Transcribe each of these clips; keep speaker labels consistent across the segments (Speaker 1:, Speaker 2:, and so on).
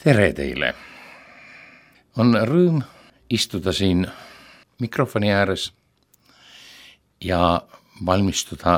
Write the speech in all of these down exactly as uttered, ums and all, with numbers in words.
Speaker 1: Tere teile! On rõõm istuda siin mikrofoni ääres ja valmistuda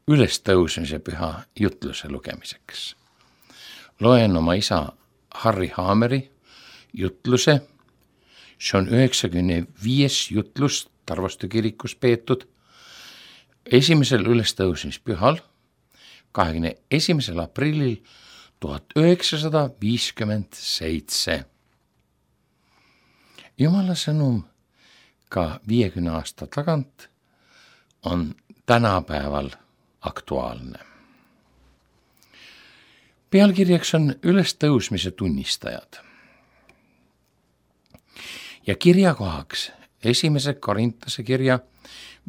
Speaker 1: ülestõusmise püha jutluse lugemiseks. Loen oma isa Harri Haameri jutluse, see on üheksakümne viies jutlus Tarvastu kirikus peetud esimesel ülestõusmispühal, kahekümne esimesel aprillil tuhat üheksasada viiskümmend seitse. Jumala sõnum ka viiekümne aasta tagant on tänapäeval aktuaalne. Pealkirjaks on ülestõusmise tunnistajad. Ja kirjakohaks esimese Korintuse kirja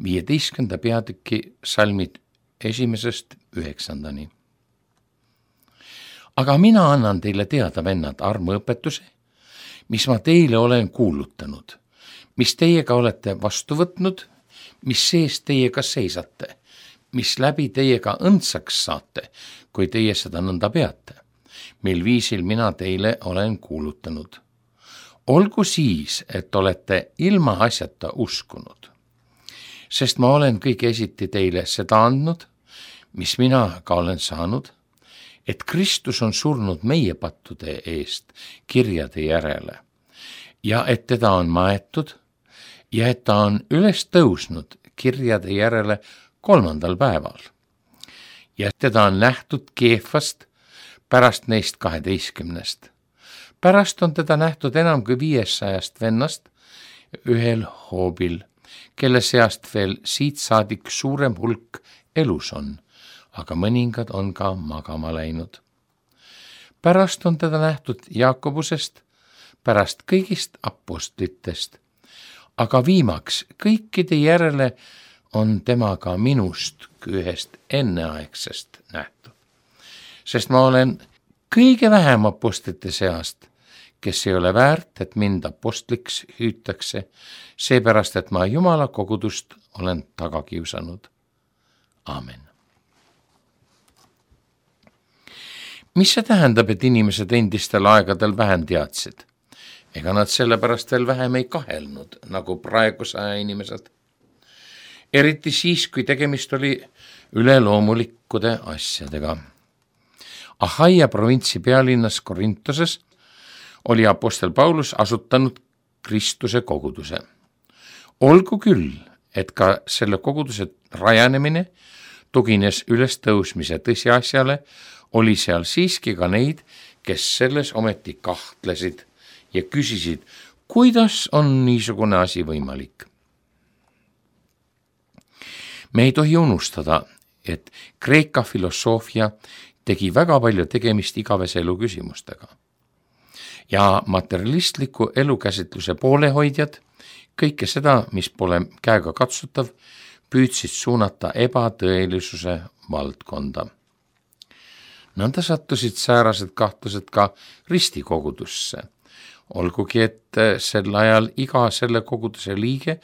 Speaker 1: viieteistkümnenda peatüki salmid esimesest üheksandani. Aga mina annan teile teada, vennad, armuõpetuse, mis ma teile olen kuulutanud, mis teiega olete vastu võtnud, mis sees teiega seisate, mis läbi teiega õndsaks saate, kui teie seda nõnda peate, mil viisil mina teile olen kuulutanud. Olgu siis, et olete ilma asjata uskunud, sest ma olen kõige esiti teile seda andnud, mis mina ka olen saanud, et Kristus on surnud meie pattude eest kirjade järele ja et teda on maetud ja et ta on üles tõusnud kirjade järele kolmandal päeval ja teda on nähtud Keefast pärast neist kaheteistkümnest. Pärast on teda nähtud enam kui viiesajast vennast ühel hoobil, kelle seast veel siit saadik suurem hulk elus on, aga mõningad on ka magama läinud. Pärast on teda nähtud Jaakobusest, pärast kõigist apostlitest, aga viimaks kõikide järele on tema ka minust kui ühest enneaegsest nähtud. Sest ma olen kõige vähem apostlite seast, kes ei ole väärt, et mind apostliks hüütakse, seepärast, et ma Jumala kogudust olen taga kiusanud. Aamen. Mis see tähendab, et inimesed endistel aegadel vähem teadsid? Ega nad sellepärast veel vähem ei kahelnud, nagu praeguse aja inimesed. Eriti siis, kui tegemist oli üleloomulikkude asjadega. Ahaia provintsi pealinnas Korintoses oli apostel Paulus asutanud Kristuse koguduse. Olgu küll, et ka selle koguduse rajanemine tugines ülestõusmise tõsiasjale, oli seal siiski ka neid, kes selles ometi kahtlesid ja küsisid, kuidas on niisugune asi võimalik. Me ei tohi unustada, et Kreeka filosoofia tegi väga palju tegemist igavese elu küsimustega. Ja materialistliku elukäsitluse poolehoidjad, kõike seda, mis pole käega katsutav, püüdsid suunata ebatõelisuse valdkonda. Nõnda sattusid säärased kahtlused ka ristikogudusse, olgugi et sel ajal iga selle koguduse liige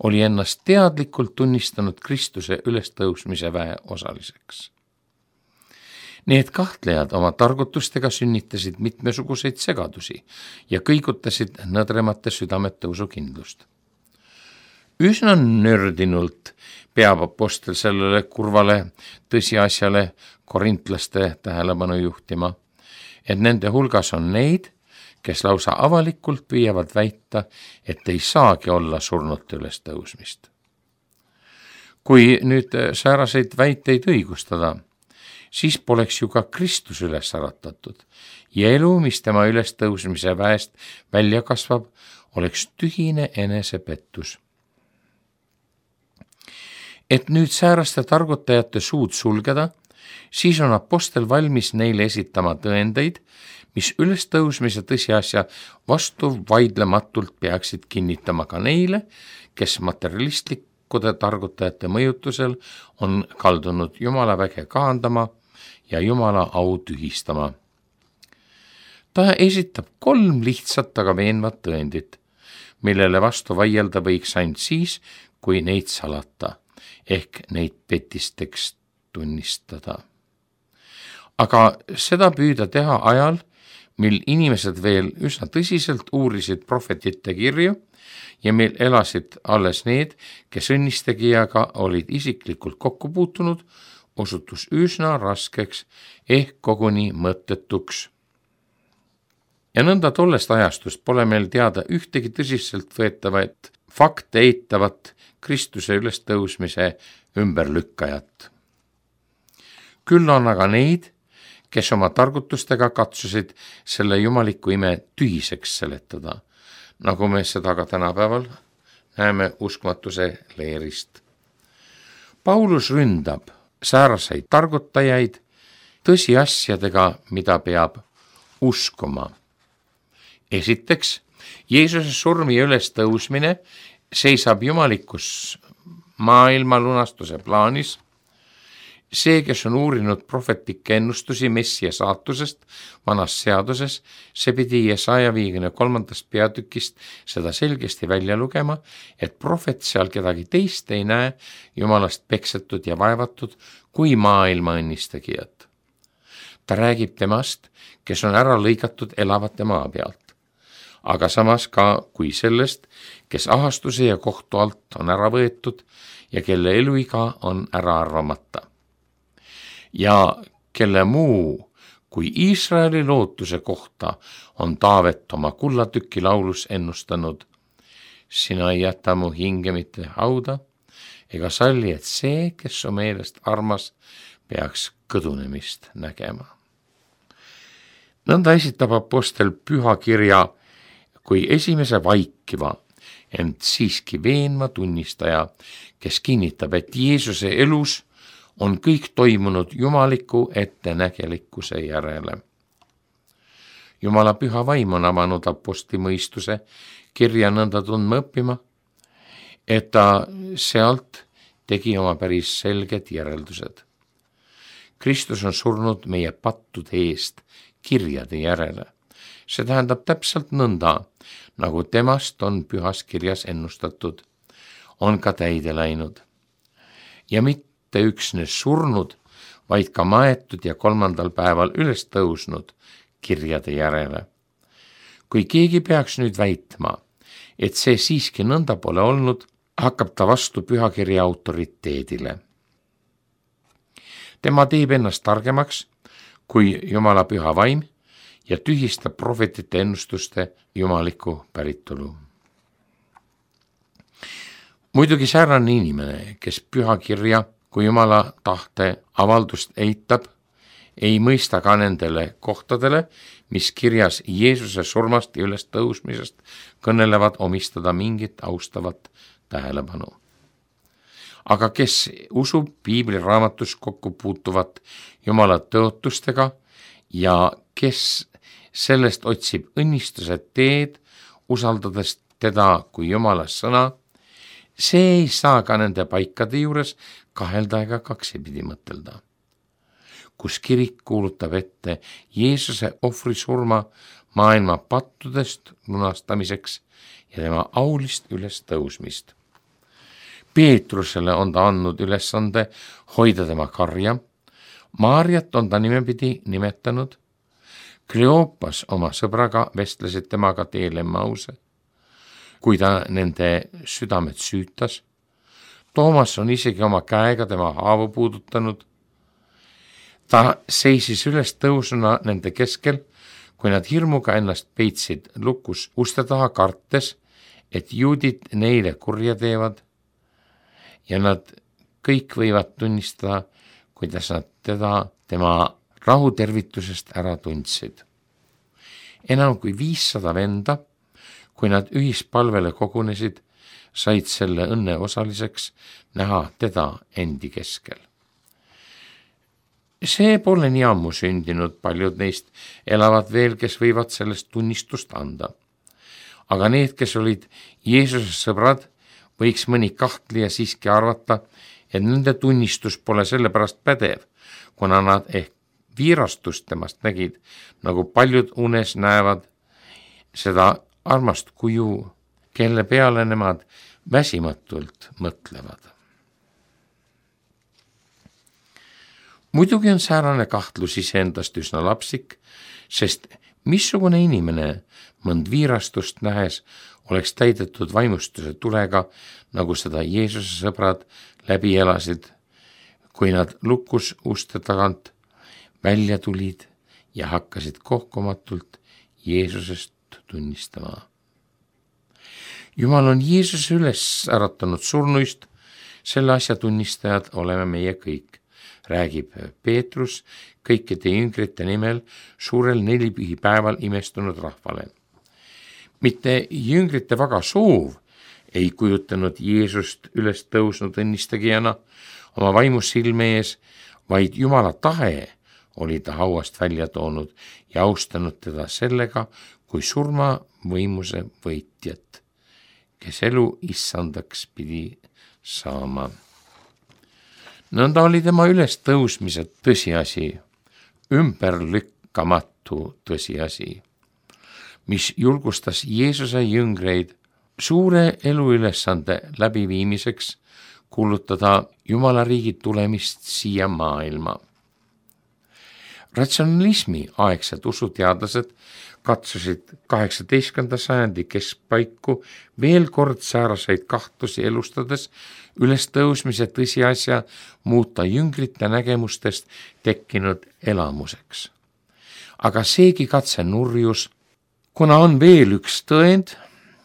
Speaker 1: oli ennast teadlikult tunnistanud Kristuse ülestõusmise väe osaliseks. Need kahtlejad oma targutustega sünnitasid mitmesuguseid segadusi ja kõigutasid nõdremate südamete usukindlust. Üsna nördinult peab apostel sellele kurvale tõsiasjale korintlaste tähelepanu juhtima, et nende hulgas on neid, kes lausa avalikult püüavad väita, et ei saagi olla surnute ülestõusmist. Kui nüüd sääraseid väiteid õigustada, siis poleks ju ka Kristus üles äratatud ja elu, mis tema ülestõusmise väest välja kasvab, oleks tühine enesepettus. Et nüüd sääraste targutajate suud sulgeda, siis on apostel valmis neile esitama tõendeid, mis ülestõusmise tõsiasja vastu vaidlematult peaksid kinnitama ka neile, kes materialistlikkude targutajate mõjutusel on kaldunud Jumala väge kahandama ja Jumala au tühistama. Ta esitab kolm lihtsat, aga veenvat tõendit, millele vastu vaielda võiks ainult siis, kui neid salata, ehk neid petisteks tunnistada. Aga seda püüda teha ajal, mil inimesed veel üsna tõsiselt uurisid prohvetite kirju ja meil elasid alles need, kes õnnistegijaga olid isiklikult kokku puutunud, osutus üsna raskeks ehk koguni mõttetuks. Ja nõnda tollest ajastust pole meil teada ühtegi tõsiselt võetavat fakte eitavat Kristuse ülestõusmise ümberlükkajat. Küll on aga neid, kes oma targutustega katsusid selle jumaliku ime tühiseks seletada, nagu me seda ka tänapäeval näeme uskmatuse leerist. Paulus ründab sääraseid targutajaid tõsiasjadega, mida peab uskuma. Esiteks, Jeesuse surm ja ülestõusmine seisab jumalikus maailma lunastuse plaanis. See, kes on uurinud prohvetlikke ennustusi messia saatusest vanas seaduses, see pidi Jesaja viiekümne kolmandast peatükist seda selgesti välja lugema, et prohvet seal kedagi teist ei näe jumalast peksetud ja vaevatud kui maailma õnnistegijat. Ta räägib temast, kes on ära lõigatud elavate maa pealt, aga samas ka kui sellest, kes ahastuse ja kohtu alt on ära võetud ja kelle eluiga on ära arvamata. Ja kelle muu kui Iisraeli lootuse kohta on Taavet oma kullatüki laulus ennustanud. Sina ei jäta mu hinge mitte hauda ega salli, et see, kes on meelest armas, peaks kõdunemist nägema. Nõnda esitab apostel pühakirja kui esimese vaikiva, ent siiski veenva tunnistaja, kes kinnitab, et Jeesuse elus on kõik toimunud jumaliku ettenägelikkuse järele. Jumala püha vaim on avanud apostli mõistuse kirja nõnda tundma õppima, et ta sealt tegi oma päris selged järeldused. Kristus on surnud meie pattude eest kirjade järele. See tähendab täpselt nõnda, nagu temast on pühas kirjas ennustatud, on ka täide läinud. Ja mitte mitte üksnes surnud, vaid ka maetud ja kolmandal päeval üles tõusnud kirjade järele. Kui keegi peaks nüüd väitma, et see siiski nõnda pole olnud, hakkab ta vastu pühakirja autoriteedile. Tema teeb ennast targemaks kui Jumala püha vaim ja tühistab prohvetite ennustuste jumaliku päritolu. Muidugi säärane inimene, kes pühakirja kui Jumala tahte avaldust eitab, ei mõista ka nendele kohtadele, mis kirjas Jeesuse surmast ja ülestõusmisest kõnelevad omistada mingit austavat tähelepanu. Aga kes usub piibli raamatus kokku puutuvat Jumala tõotustega ja kes sellest otsib õnnistuse teed, usaldades teda kui Jumala sõna, see ei saa ka nende paikade juures kahelda ega kaksipidi mõtelda, kus kirik kuulutab ette Jeesuse ohvri surma maailma pattudest lunastamiseks ja tema aulist ülestõusmist. Peetrusele on ta andnud ülesande hoida tema karja, Maarjat on ta nimepidi nimetanud, Kleopas oma sõbraga vestlesid temaga teel Emmause, kui ta nende südamed süütas. Toomas on isegi oma käega tema haavu puudutanud. Ta seisis üles tõusuna nende keskel, kui nad hirmuga ennast peitsid lukus uste taha kartes, et juudid neile kurja teevad ja nad kõik võivad tunnistada, kuidas nad teda tema rahutervitusest ära tundsid. Enam kui viissada venda, kui nad ühispalvele kogunesid, said selle õnne osaliseks näha teda endi keskel. See pole nii ammu sündinud, paljud neist elavad veel, kes võivad sellest tunnistust anda. Aga need, kes olid Jeesuse sõbrad, võiks mõni kahtlija siiski arvata, et nende tunnistus pole sellepärast pädev, kuna nad ehk viirastust temast nägid, nagu paljud unes näevad seda armast kuju, kelle peale nemad väsimatult mõtlevad. Muidugi on säärane kahtlus iseendast üsna lapsik, sest Missugune inimene mõnd viirastust nähes oleks täidetud vaimustuse tulega, nagu seda Jeesuse sõbrad läbi elasid, kui nad lukus uste tagant välja tulid ja hakkasid kohkumatult Jeesusest tunnistama. Jumal on Jeesuse üles äratanud surnuist, selle asja tunnistajad oleme meie kõik, räägib Peetrus kõikide jüngrite nimel suurel nelipühipäeval imestunud rahvale. Mitte jüngrite vaga soov ei kujutanud Jeesust üles tõusnud õnnistegijana oma vaimus silme ees, vaid Jumala tahe oli ta hauast välja toonud ja austanud teda sellega kui surma võimuse võitjat, kes elu issandaks pidi saama. Nõnda oli tema üles tõusmise tõsiasi, ümberlükkamatu tõsiasi, mis julgustas Jeesuse jüngreid suure eluülesande läbiviimiseks kuulutada Jumala riigi tulemist siia maailma. Ratsionalismi aegsed usuteadlased katsusid kaheksateistkümnenda sajandi keskpaiku veel kord sääraseid kahtlusi elustades üles tõusmise tõsiasja muuta jüngrite nägemustest tekkinud elamuseks. Aga seegi katse nurjus, kuna on veel üks tõend,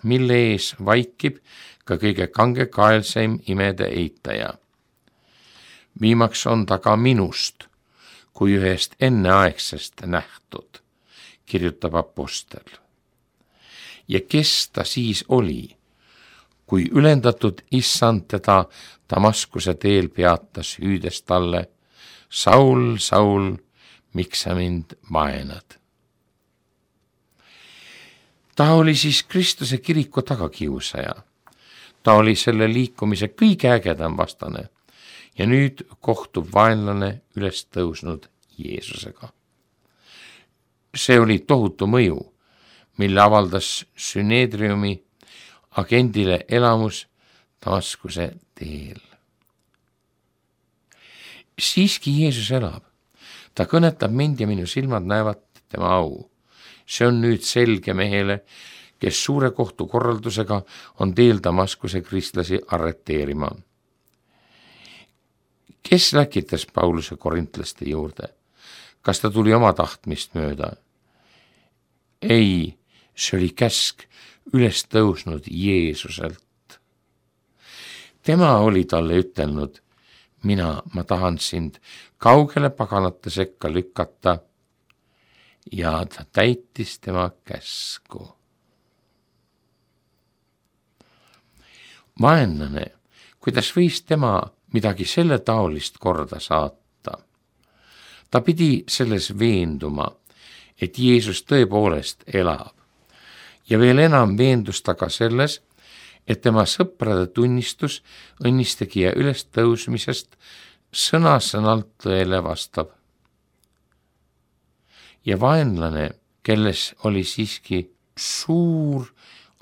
Speaker 1: mille ees vaikib ka kõige kangekaelseim imede eitaja. Viimaks on ta ka minust kui ühest enneaegsest nähtud, kirjutab apostel. Ja kes ta siis oli, kui ülendatud issand teda Damaskuse teel peatas, hüüdes talle: Saul, Saul, miks sa mind vaenad? Ta oli siis Kristuse kiriku tagakiusaja. Ta oli selle liikumise kõige ägedam vastane ja nüüd kohtub vaenlane üles tõusnud Jeesusega. See oli tohutu mõju, mille avaldas Süneedriumi agendile elamus Damaskuse teel. Siiski Jeesus elab. Ta kõnetab mind ja minu silmad näevad tema au. See on nüüd selge mehele, kes suure kohtu korraldusega on teel Damaskuse kristlasi arreteerima. Kes läkitas Pauluse korintlaste juurde? Kas ta tuli oma tahtmist mööda? Ei, see oli käsk üles tõusnud Jeesuselt. Tema oli talle ütelnud: mina, ma tahan sind kaugele paganate sekka lükata, ja ta täitis tema käsku. Vaenlane, kuidas võis tema midagi selle taolist korda saata? Ta pidi selles veenduma, et Jeesus tõepoolest elab, ja veel enam veendus ta ka selles, et tema sõprade tunnistus õnnistegija üles tõusmisest sõna-sõnalt tõele vastab. Ja vaenlane, kelles oli siiski suur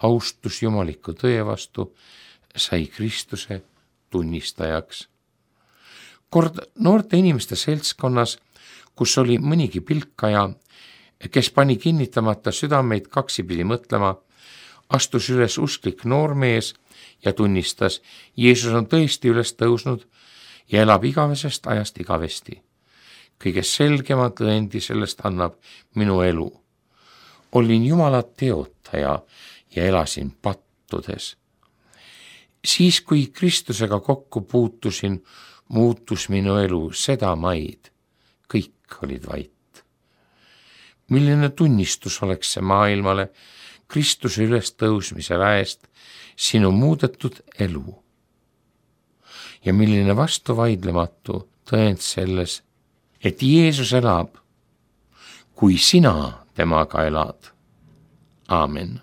Speaker 1: austus jumaliku tõe vastu, sai Kristuse tunnistajaks. Kord noorte inimeste seltskonnas, kus oli mõnigi pilkaja, kes pani kinnitamata südameid kaksipidi mõtlema, astus üles usklik noormees ja tunnistas: Jeesus on tõesti üles tõusnud ja elab igavesest ajast igavesti. Kõige selgema tõendi sellest annab minu elu. Olin Jumala teotaja ja elasin pattudes. Siis, kui Kristusega kokku puutusin, muutus minu elu seda maid. Kõik olid vait. Milline tunnistus oleks see maailmale Kristuse üles tõusmise väest sinu muudetud elu? Ja milline vastuvaidlematu tõend selles, et Jeesus elab, kui sina temaga elad. Aamen.